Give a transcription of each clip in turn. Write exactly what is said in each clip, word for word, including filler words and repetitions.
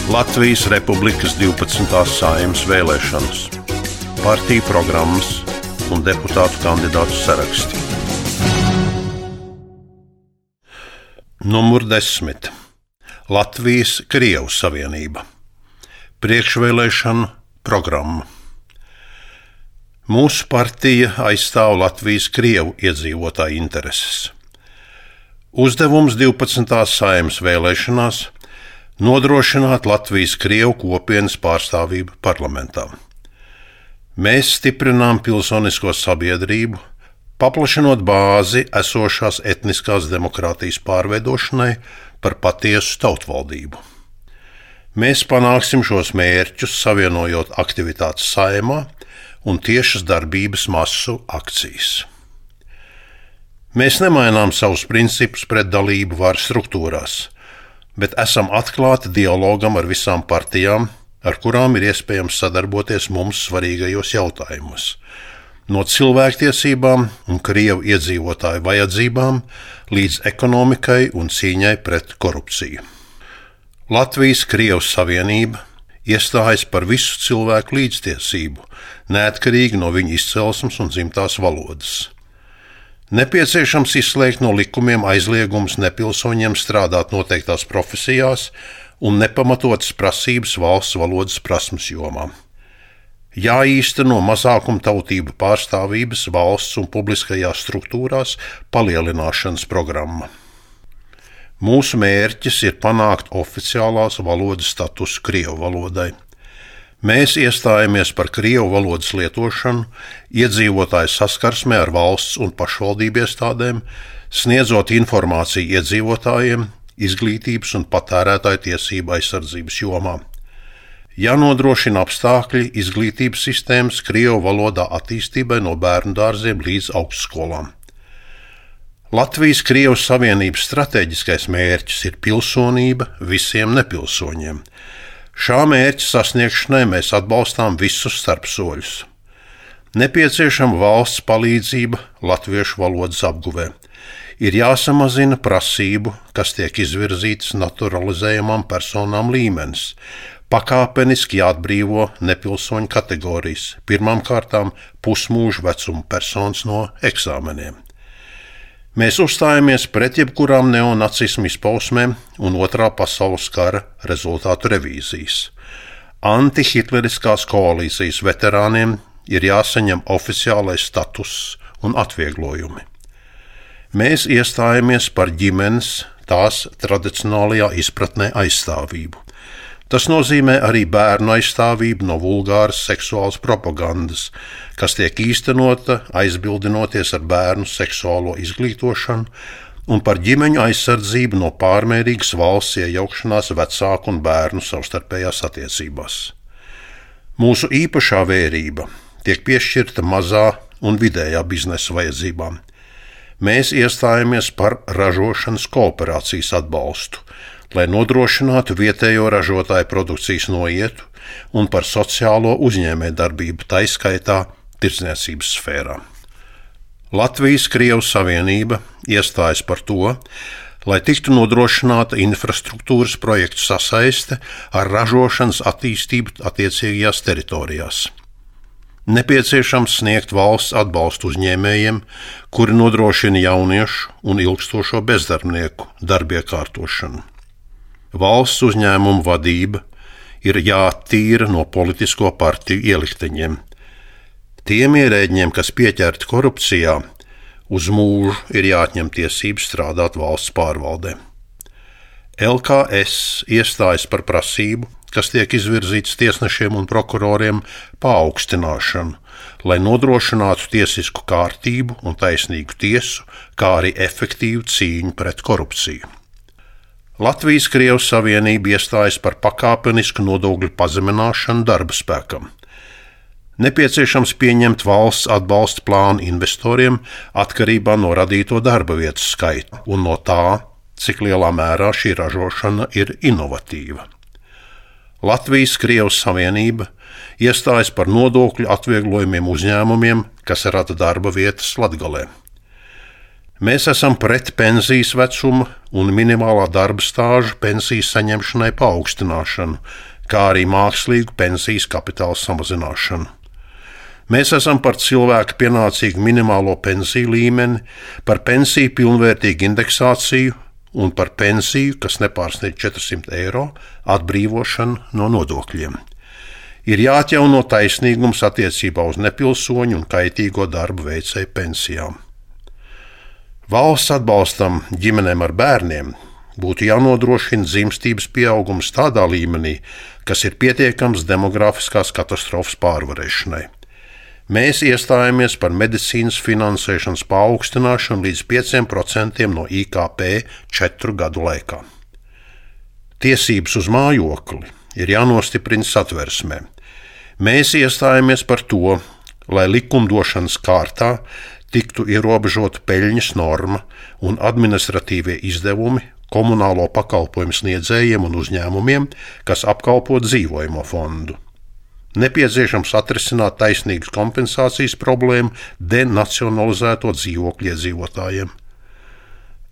Latvijas Republikas divpadsmitās Saeimas vēlēšanas, partiju programmas un deputātu kandidātu saraksti. Numur desmit. Latvijas-Krievu savienība. Priekšvēlēšanu programma. Mūsu partija aizstāv Latvijas-Krievu iedzīvotāju intereses. Uzdevums divpadsmitās Saeimas vēlēšanās nodrošināt Latvijas-Krievu kopienas pārstāvību parlamentā. Mēs stiprinām pilsonisko sabiedrību, paplašinot bāzi esošās etniskās demokrātijas pārveidošanai par patiesu tautvaldību. Mēs panāksim šos mērķus, savienojot aktivitātes Saeimā un tiešas darbības masu akcijas. Mēs nemainām savus principus pret dalību varas struktūrās, bet esam atklāti dialogam ar visām partijām, ar kurām ir iespējams sadarboties mums svarīgajos jautājumos, no cilvēktiesībām un Krievu iedzīvotāju vajadzībām līdz ekonomikai un cīņai pret korupciju. Latvijas-Krievu savienība iestājas par visu cilvēku līdztiesību, neatkarīgi no viņu izcelsmes un dzimtās valodas. Nepieciešams izslēgt no likumiem aizliegumus nepilsoņiem strādāt noteiktās profesijās un nepamatotas prasības valsts valodas prasmes jomā. Jāīsteno mazākumtautību pārstāvības valsts un publiskajās struktūrās palielināšanas programma. Mūsu mērķis ir panākt oficiālās valodas statusu Krievu valodai. Mēs iestājamies par Krievu valodas lietošanu, iedzīvotāju saskarsmē ar valsts un pašvaldību iestādēm, sniedzot informāciju iedzīvotājiem, izglītības un patērētāju tiesību aizsardzības jomā. Jānodrošina apstākļi izglītības sistēmas Krievu valodā attīstībai no bērnu dārziem līdz augstskolām. Latvijas-Krievu savienības stratēģiskais mērķis ir pilsonība visiem nepilsoņiem. Šā mērķa sasniegšanai mēs atbalstām visus starpsoļus. Nepieciešama valsts palīdzība latviešu valodas apguvē. Ir jāsamazina prasību, kas tiek izvirzītas naturalizējamām personām līmenis. Pakāpeniski jāatbrīvo nepilsoņu kategorijas, pirmām kārtām pusmūža vecuma personas no eksāmeniem. Mēs uzstājamies pret jebkurām neonacismu izpausmēm un otrā pasaules kara rezultātu revīzijas. Antihitleriskās koalīcijas veterāniem ir jāsaņem oficiālais status un atvieglojumi. Mēs iestājamies par ģimenes tās tradicionālajā izpratnē aizstāvību. Tas nozīmē arī bērnu aizstāvību no vulgāras seksuālas propagandas, kas tiek īstenota aizbildinoties ar bērnu seksuālo izglītošanu, un par ģimeņu aizsardzību no pārmērīgas valsts iejaukšanās vecāku un bērnu savstarpējās attiecībās. Mūsu īpašā vērība tiek piešķirta mazā un vidējā biznesa vajadzībām. Mēs iestājamies par ražošanas kooperācijas atbalstu, lai nodrošinātu vietējo ražotāju produkcijas noietu un par sociālo uzņēmējdarbību, tai skaitā tirdzniecības sfērā. Latvijas-Krievu savienība iestājas par to, lai tiktu nodrošināta infrastruktūras projektu sasaiste ar ražošanas attīstību attiecīgajās teritorijās. Nepieciešams sniegt valsts atbalstu uzņēmējiem, kuri nodrošina jauniešu un ilgstošo bezdarbnieku darbiekārtošanu. Valsts uzņēmumu vadība ir jāattīra no politisko partiju ielikteņiem. Tiem ierēģiem, kas pieķerti korupcijā, uz mūžu ir jāatņem tiesības strādāt valsts pārvaldē. L K S iestājas par prasību, kas tiek izvirzīts tiesnešiem un prokuroriem, paaugstināšanu, lai nodrošinātu tiesisku kārtību un taisnīgu tiesu, kā arī efektīvu cīņu pret korupciju. Latvijas-Krievu savienība iestājas par pakāpenisku nodokļu pazemināšanu darba spēkam. Nepieciešams pieņemt valsts atbalsta plānu investoriem atkarībā no radīto darba vietu skaita un no tā, cik lielā mērā šī ražošana ir inovatīva. Latvijas-Krievu savienība iestājas par nodokļu atvieglojumiem uzņēmumiem, kas rada darba vietas Latgalē. Mēs esam pret pensijas vecuma un minimālā darba stāža pensijas saņemšanai paaugstināšanu, kā arī mākslīgu pensijas kapitāla samazināšanu. Mēs esam par cilvēku pienācīgu minimālo pensiju līmeni, par pensiju pilnvērtīgu indeksāciju un par pensiju, kas nepārsniedz četrsimt eiro, atbrīvošanu no nodokļiem. Ir jāatjauno taisnīgums attiecībā uz nepilsoņu un kaitīgo darbu veicēju pensijām. Valsts atbalstam ģimenēm ar bērniem būtu jānodrošina dzimstības pieaugums tādā līmenī, kas ir pietiekams demografiskās katastrofas pārvarēšanai. Mēs iestājamies par medicīnas finansēšanas paaugstināšanu līdz pieciem procentiem no I K P četru gadu laikā. Tiesības uz mājokli ir jānostiprina satversmē. Mēs iestājamies par to, lai likumdošanas kārtā tiktu ierobežota peļņas norma un administratīvie izdevumi komunālo pakalpojumu sniedzējiem un uzņēmumiem, kas apkalpo dzīvojamo fondu. Nepieciešams atrisināt taisnīgas kompensācijas problēmu denacionalizēto dzīvokļu iedzīvotājiem.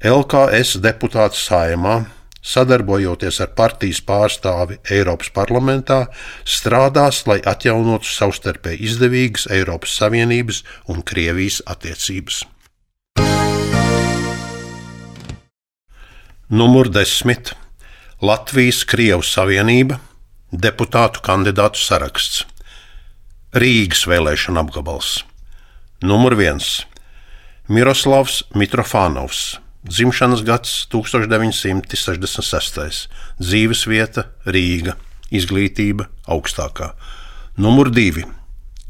L K S deputāts Saeimā, sadarbojoties ar partijas pārstāvi Eiropas parlamentā, strādās, lai atjaunotu savstarpēji izdevīgas Eiropas Savienības un Krievijas attiecības. Numur desmit. Latvijas-Krievu Savienība, deputātu kandidātu saraksts. Rīgas vēlēšana apgabals. Numur viens. Miroslavs Mitrofānovs. Dzimšanas gads tūkstoš deviņi simti sešdesmit sestais. Dzīvesvieta Rīga. Izglītība augstākā. Numur divi.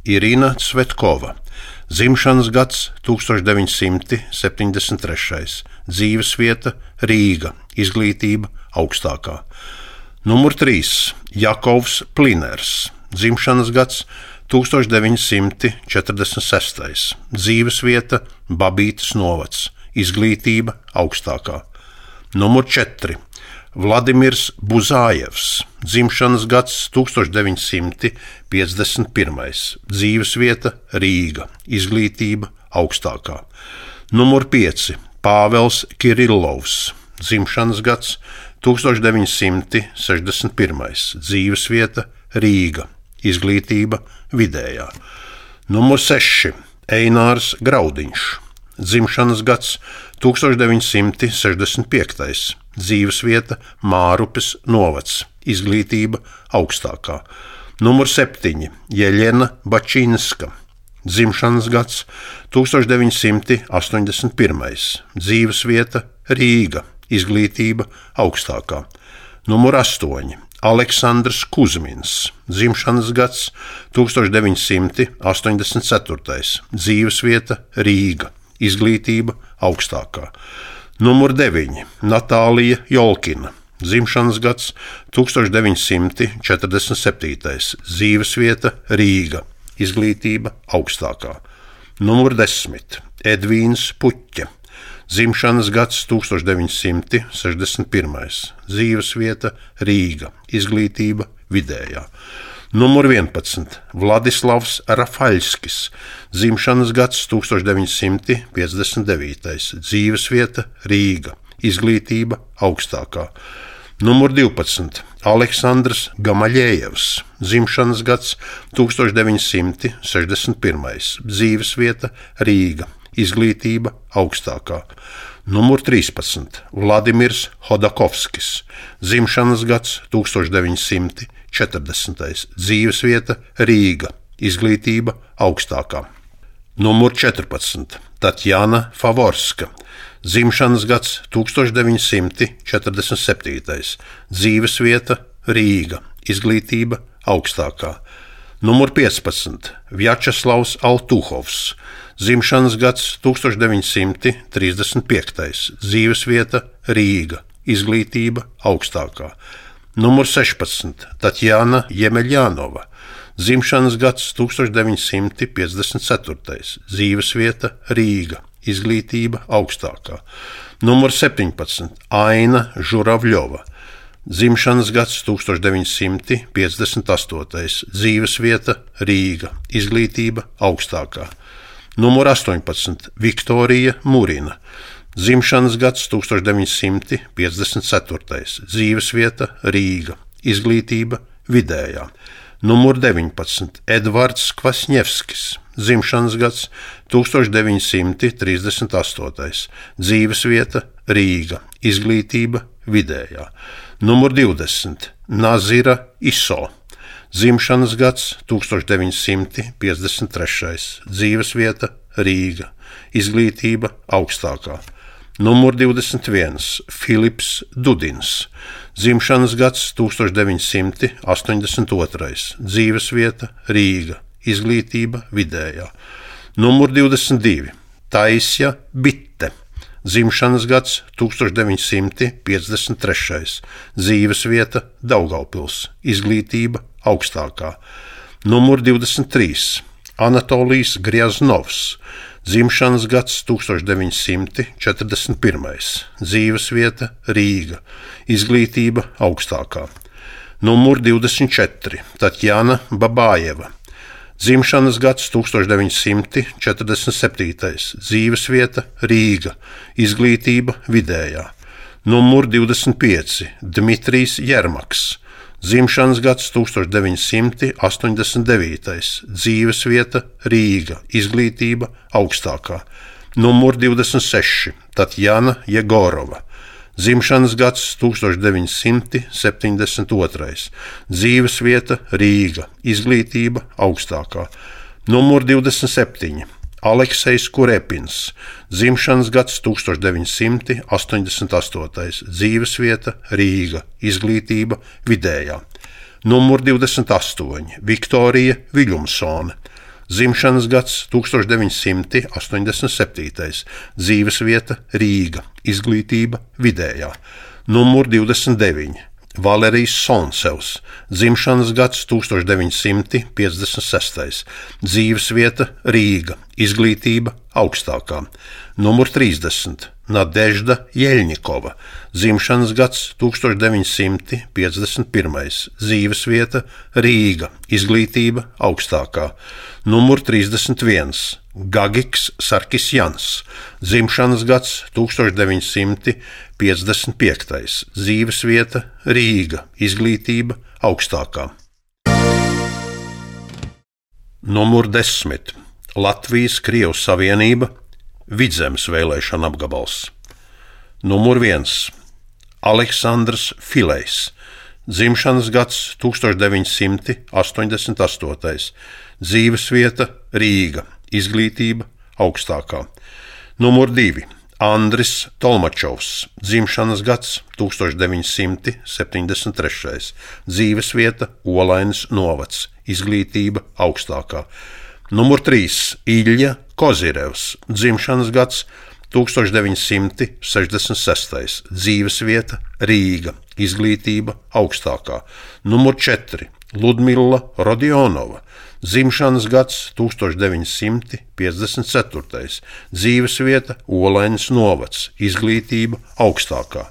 Irina Cvetkova. Dzimšanas gads tūkstoš deviņi simti septiņdesmit trešais. Dzīvesvieta Rīga. Izglītība augstākā. Numur trīs. Jakovs Pliners. Dzimšanas gads tūkstoš deviņi simti četrdesmit sestais. Dzīvesvieta Babītes novads. Izglītība augstākā. Numur četri. Vladimirs Buzājevs. Dzimšanas gads tūkstoš deviņi simti piecdesmit pirmais. Dzīvesvieta Rīga. Izglītība augstākā. Numur pieci. Pāvels Kirillovs. Dzimšanas gads tūkstoš deviņi simti sešdesmit pirmais. Dzīvesvieta Rīga. Izglītība vidējā. Numur seši. Einārs Graudiņš. Dzimšanas gads tūkstoš deviņi simti sešdesmit piektais. Dzīvesvieta Mārupes novads. Izglītība augstākā. Numur septiņi. Jeļena Bačinska. Dzimšanas gads tūkstoš deviņi simti astoņdesmit pirmais. Dzīvesvieta Rīga. Izglītība augstākā. Numur astoņi. Aleksandrs Kuzmins. Dzimšanas gads tūkstoš deviņi simti astoņdesmit ceturtais. Dzīvesvieta Rīga. Izglītība augstākā. Numur deviņi. Natālija Jolkina. Dzimšanas gads tūkstoš deviņi simti četrdesmit septītais. Dzīvesvieta Rīga. Izglītība augstākā. Numur desmit. Edvīns Puķa. Dzimšanas gads tūkstoš deviņi simti sešdesmit pirmais. Dzīvesvieta Rīga. Izglītība vidējā. Numur vienpadsmit. Vladislavs Rafaļskis. Dzimšanas gads tūkstoš deviņi simti piecdesmit devītais. Dzīvesvieta Rīga. Izglītība augstākā. Numur divpadsmit. Aleksandrs Gamaļējevs. Dzimšanas gads tūkstoš deviņi simti sešdesmit pirmais. Dzīvesvieta Rīga. Izglītība augstākā. Numur trīspadsmit. Vladimirs Hodakovskis. Dzimšanas gads tūkstoš deviņi simti četrdesmitais. Dzīvesvieta Rīga. Izglītība augstākā. Numur četrpadsmit. Tatjana Favorska. Dzimšanas gads tūkstoš deviņi simti četrdesmit septītais. Dzīvesvieta Rīga. Izglītība augstākā. Numur piecpadsmit. Vjačeslavs Altuhovs. Dzimšanas gads tūkstoš deviņi simti trīsdesmit piektais. Dzīvesvieta Rīga. Izglītība augstākā. Numur sešpadsmit. Tatjana Jemeļjanova. Dzimšanas gads tūkstoš deviņi simti piecdesmit ceturtais. Dzīvesvieta Rīga. Izglītība augstākā. Numur septiņpadsmit. Aina Žuravļova. Dzimšanas gads tūkstoš deviņi simti piecdesmit astotais. Dzīvesvieta Rīga. Izglītība augstākā. Numur astoņpadsmit Viktorija Murina, dzimšanas gads tūkstoš deviņi simti piecdesmit ceturtais, dzīvesvieta Rīga, izglītība vidējā. Numur deviņpadsmit Edvards Kvasņevskis, dzimšanas gads tūkstoš deviņi simti trīsdesmit astotais, dzīvesvieta Rīga, izglītība vidējā. Numur divdesmit Nazira Iso, dzimšanas gads tūkstoš deviņi simti piecdesmit trešais, dzīvesvieta Rīga, izglītība augstākā. Numur divdesmit viens Filips Dudins, dzimšanas gads tūkstoš deviņi simti astoņdesmit otrais, dzīvesvieta Rīga, izglītība vidējā. Numur divdesmit divi Taisja Bitte, dzimšanas gads tūkstoš deviņi simti piecdesmit trešais, dzīvesvieta Daugavpils, izglītība augstākā. Numur divdesmit trīs Anatolijs Grjaznovs, dzimšanas gads tūkstoš deviņi simti četrdesmit pirmais, dzīvesvieta Rīga, izglītība augstākā. Numur divdesmit četri Tatjana Babājeva, dzimšanas gads tūkstoš deviņi simti četrdesmit septītais, dzīvesvieta Rīga, izglītība vidējā. Numur divdesmit pieci Dmitrijs Jermaks, dzimšanas gads tūkstoš deviņi simti astoņdesmit devītais, dzīvesvieta Rīga, izglītība augstākā. Numur divdesmit seši Tatjana Jegorova, dzimšanas gads tūkstoš deviņi simti septiņdesmit otrais, dzīvesvieta Rīga, izglītība augstākā. Numur divdesmit septiņi Aleksejs Kurepins, dzimšanas gads tūkstoš deviņi simti astoņdesmit astotais, dzīvesvieta Rīga, izglītība vidējā. Numur divdesmit astoņi Viktorija Viļumsone, dzimšanas gads tūkstoš deviņi simti astoņdesmit septītais, dzīvesvieta Rīga, izglītība vidējā. Numur divdesmit deviņi Valerijs Sonsevs, dzimšanas gads tūkstoš deviņi simti piecdesmit sestais, dzīvesvieta Rīga, izglītība augstākā. Numur trīsdesmit Nadežda Jeļņikova, dzimšanas gads tūkstoš deviņi simti piecdesmit pirmais, dzīvesvieta Rīga, izglītība augstākā. Numur trīsdesmit viens Gagiks Sarkisjans, dzimšanas gads tūkstoš deviņi simti piecdesmit piektais, dzīvesvieta Rīga, izglītība augstākā. Numur desmit Latvijas Krievu Savienība, Vidzemes vēlēšana apgabals. Numur viens Aleksandrs Filejs, dzimšanas gads tūkstoš deviņi simti astoņdesmit astotais, dzīvesvieta Rīga, izglītība augstākā. Numur divi Andris Tolmačovs, dzimšanas gads tūkstoš deviņi simti septiņdesmit trešais, dzīvesvieta Olainas novads, izglītība augstākā. Numur trīs Ilja Kozirevs, dzimšanas gads tūkstoš deviņi simti sešdesmit sestais, dzīvesvieta Rīga, izglītība augstākā. Numur četri Ludmila Rodionova, dzimšanas gads tūkstoš deviņi simti piecdesmit ceturtais, dzīvesvieta Olainas novads, izglītība augstākā.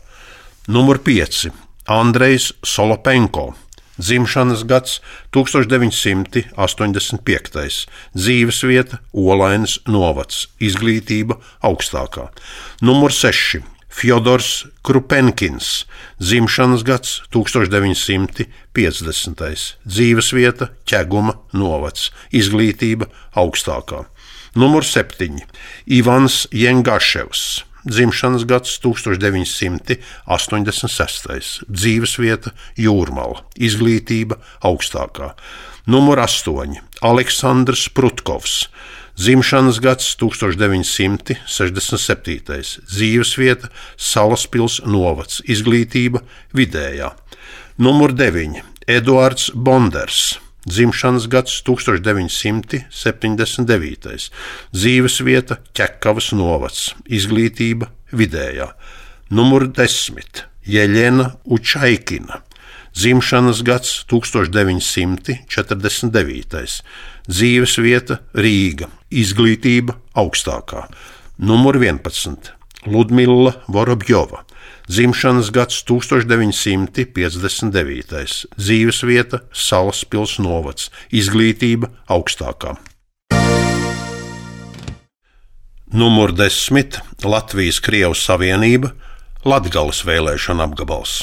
Numur pieci Andrejs Solopenko, dzimšanas gads tūkstoš deviņi simti astoņdesmit piektais, dzīvesvieta Olainas novads, izglītība augstākā. Numur seši Fjodors Krupenkins, dzimšanas gads tūkstoš deviņi simti piecdesmitais, dzīvesvieta Ķeguma novads, izglītība augstākā. Numur septiņi Ivans Jengaševs, dzimšanas gads tūkstoš deviņi simti astoņdesmit sestais, dzīvesvieta Jūrmala, izglītība augstākā. Numur astoņi Aleksandrs Prutkovs, dzimšanas gads tūkstoš deviņi simti sešdesmit septītais, dzīvesvieta Salaspils novads, izglītība vidējā. Numur deviņi Eduards Bonders, dzimšanas gads tūkstoš deviņi simti septiņdesmit devītais, dzīvesvieta Ķekavas novads, izglītība vidējā. Numur desmit Jeļena Učaikina, dzimšanas gads tūkstoš deviņi simti četrdesmit devītais, dzīvesvieta Rīga, izglītība augstākā. Numur vienpadsmit Ludmila Vorobjova, dzimšanas gads tūkstoš deviņi simti piecdesmit devītais, dzīvesvieta Salaspils novads, izglītība augstākā. Numur desmit Latvijas-Krievijas Savienība, Latgales vēlēšana apgabals.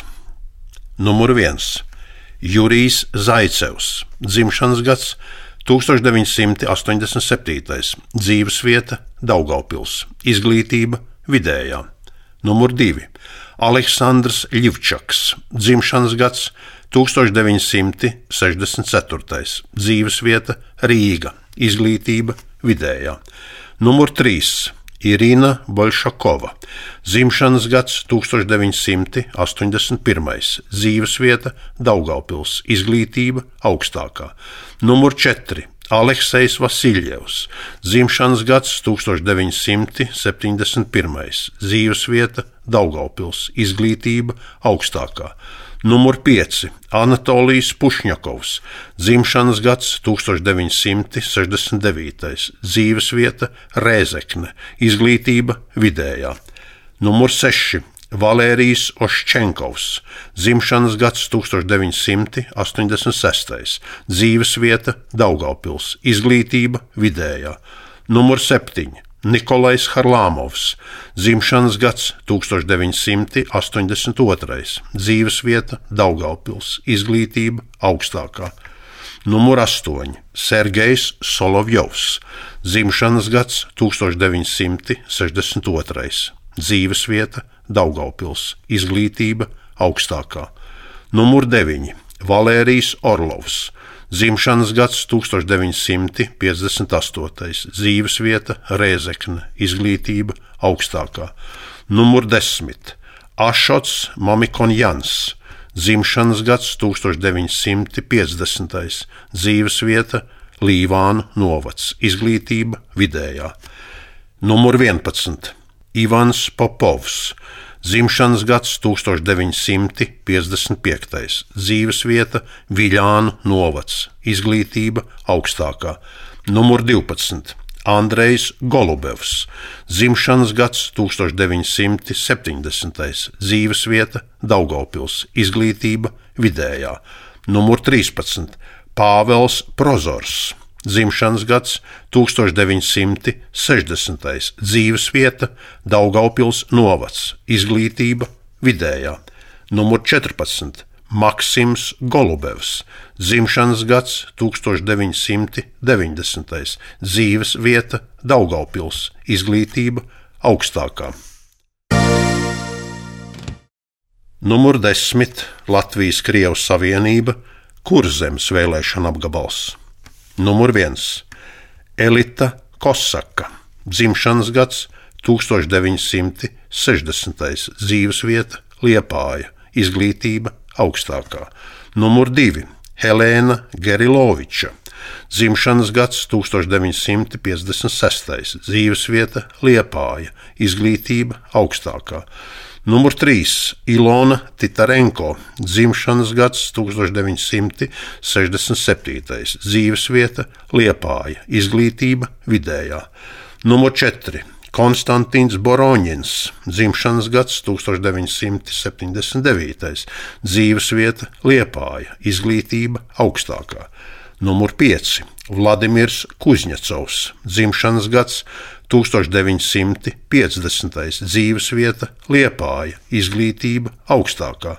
Numur viens Jurijs Zaicevs, dzimšanas gads tūkstoš deviņi simti astoņdesmit septītais, dzīvesvieta Daugavpils, izglītība vidējā. Numur divi Aleksandrs Ļivčaks, dzimšanas gads tūkstoš deviņi simti sešdesmit ceturtais, dzīvesvieta Rīga, izglītība vidējā. Numur trīs Irina Bolšakova, dzimšanas gads tūkstoš deviņi simti astoņdesmit pirmais, dzīvesvieta Daugavpils, izglītība augstākā. Numur četri Aleksejs Vasiljevs, dzimšanas gads tūkstoš deviņi simti septiņdesmit pirmais, dzīvesvieta Daugavpils, izglītība augstākā. Numur pieci Anatolijs Pušņakovs, dzimšanas gads tūkstoš deviņi simti sešdesmit devītais, dzīvesvieta Rēzekne, izglītība vidējā. Numur seši Valērijs Oščenkovs, dzimšanas gads tūkstoš deviņi simti astoņdesmit sestais, dzīvesvieta Daugavpils, izglītība vidējā. Numur septiņi Nikolais Harlamovs, dzimšanas gads tūkstoš deviņi simti astoņdesmit otrais, dzīvesvieta Daugavpils, izglītība augstākā. Numur astoņi Sergejs Solovjovs, dzimšanas gads tūkstoš deviņi simti sešdesmit otrais, dzīvesvieta Daugavpils, izglītība augstākā. Numur deviņi Valērijs Orlovs, dzimšanas gads tūkstoš deviņi simti piecdesmit astotais, dzīvesvieta Rēzekne, izglītība augstākā. Numur desmit Ašots Mamikonjans, dzimšanas gads tūkstoš deviņi simti piecdesmitais, dzīvesvieta Līvānu novads, izglītība vidējā. Numur vienpadsmit Ivans Popovs, dzimšanas gads tūkstoš deviņi simti piecdesmit piektais, dzīvesvieta Viļānu novads, izglītība augstākā. Numur divpadsmit Andrejs Golubevs, dzimšanas gads tūkstoš deviņi simti septiņdesmitais, dzīvesvieta Daugavpils, izglītība vidējā. Numur trīspadsmit Pāvels Prozors, dzimšanas gads tūkstoš deviņi simti sešdesmitais, dzīvesvieta Daugavpils novads, izglītība vidējā. Numur četrpadsmit Maksims Golubevs, dzimšanas gads tūkstoš deviņi simti deviņdesmitais, dzīvesvieta Daugavpils, izglītība augstākā. Numur desmit Latvijas-Krievijas Savienība, Kurzemes vēlēšana apgabals. Numur viens Elita Kosaka, dzimšanas gads tūkstoš deviņi simti sešdesmitais, dzīvesvieta Liepāja, izglītība augstākā. Numur divi Helēna Geriloviča, dzimšanas gads tūkstoš deviņi simti piecdesmit sestais, dzīvesvieta Liepāja, izglītība augstākā. Numur trīs Ilona Titarenko, dzimšanas gads tūkstoš deviņi simti sešdesmit septītais, dzīvesvieta Liepāja, izglītība vidējā. Numur četri Konstantīns Boroņins, dzimšanas gads tūkstoš deviņi simti septiņdesmit devītais, dzīvesvieta Liepāja, izglītība augstākā. Numur pieci Vladimirs Kuzņecovs, dzimšanas gads tūkstoš deviņi simti piecdesmitais, dzīvesvieta Liepāja, izglītība augstākā.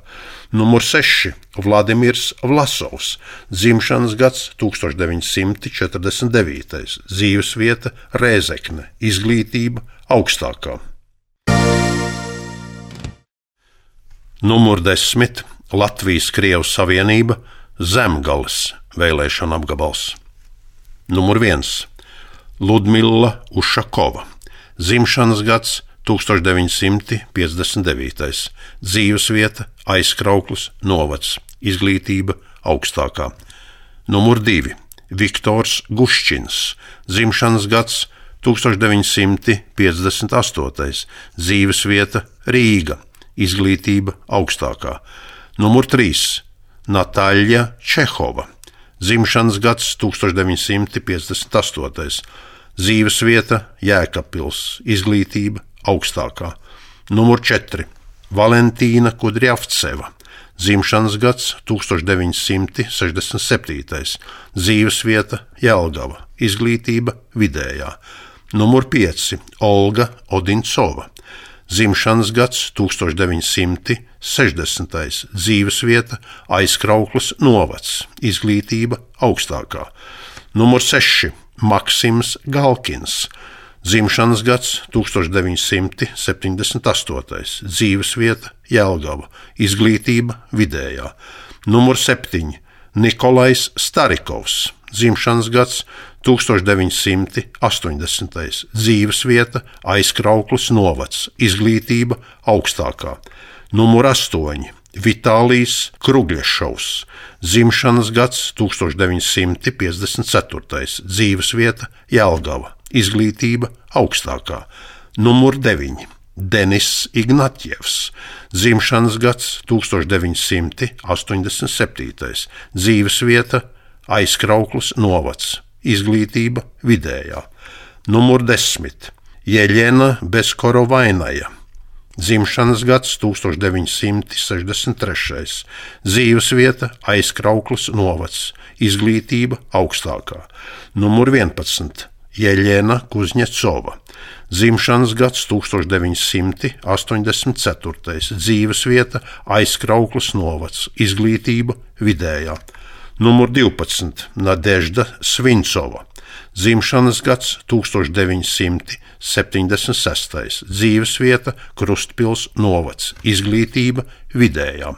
Numur seši Vladimirs Vlasovs, dzimšanas gads tūkstoš deviņi simti četrdesmit devītais, dzīvesvieta Rēzekne, izglītība augstākā. Numur desmit Latvijas-Krievijas Savienība, Zemgales vēlēšana apgabals. Numur viens Ludmila Ušakova, dzimšanas gads tūkstoš deviņi simti piecdesmit devītais, dzīvesvieta Aizkrauklis novads, izglītība augstākā. Numur divi Viktors Guščins, dzimšanas gads tūkstoš deviņi simti piecdesmit astotais, dzīvesvieta Rīga, izglītība augstākā. Numur trīs Natāļa Čehova, dzimšanas gads tūkstoš deviņi simti piecdesmit astotais, dzīvesvieta Jēkabpils, izglītība augstākā. Numur četri Valentīna Kudrjavceva, dzimšanas gads tūkstoš deviņi simti sešdesmit septītais, dzīvesvieta Jelgava, izglītība vidējā. Numur pieci Olga Odincova. Dzimšanas gads tūkstoš deviņi simti sešdesmitais. Dzīvesvieta Aizkraukles novads. Izglītība augstākā. Numur seši Maksims Galkins. Dzimšanas gads tūkstoš deviņi simti septiņdesmit astotais. Dzīvesvieta Jelgava. Izglītība vidējā. Numur septiņi Nikolais Starikovs. Dzimšanas gads tūkstoš deviņi simti astoņdesmitais. Dzīvesvieta Aizkraukles novads. Izglītība augstākā. Numur astoņi Vitālijs Krugļešovs. Dzimšanas gads tūkstoš deviņi simti piecdesmit ceturtais. Dzīvesvieta Jelgava. Izglītība augstākā. Numur deviņi Denis Ignatjevs. Dzimšanas gads tūkstoš deviņi simti astoņdesmit septītais. Dzīvesvieta Aizkraukles novads. Izglītība vidējā. Numur desmit Jeļena Beskorovainaja. Dzimšanas gads tūkstoš deviņi simti sešdesmit trešais. Dzīvesvieta Aizkraukles novads. Izglītība augstākā. Numur vienpadsmit Jeļena Kuzņecova. Dzimšanas gads tūkstoš deviņi simti astoņdesmit ceturtais. Dzīvesvieta Aizkraukles novads. Izglītība vidējā. Numur divpadsmit Nadežda Svincova. Dzimšanas gads tūkstoš deviņi simti septiņdesmit sestais. Dzīvesvieta Krustpils novads. Izglītība vidējā.